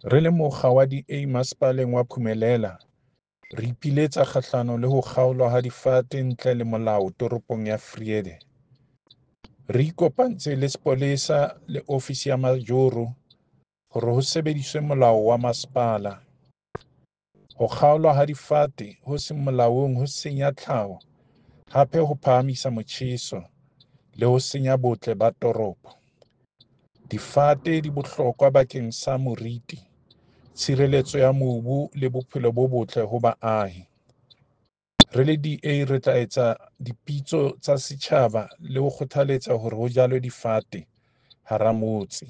Re le mokga wa DA Masepaleng wa Phumelela, re ipiletsa kgahlano le ho kgaolwa ha difate ntle le molao toropong ya Vrede. Re ikopantse le sepolesa le ofisi ya majoro hore ho sebediswe molao wa masepala. Ho kgaolwa ha difate ho seng molaong ho senya tlhaho, hape ho phahamisa motjheso le ho senya botle ba toropo. Difate di bohlokwa bakeng sa moriti, tshireletso ya mobu le bophelo bo botle ho baahi. Re le DA re tla etsa dipitso tsa setjhaba le ho kgothaletsa hore ho jalwe difate hara motse.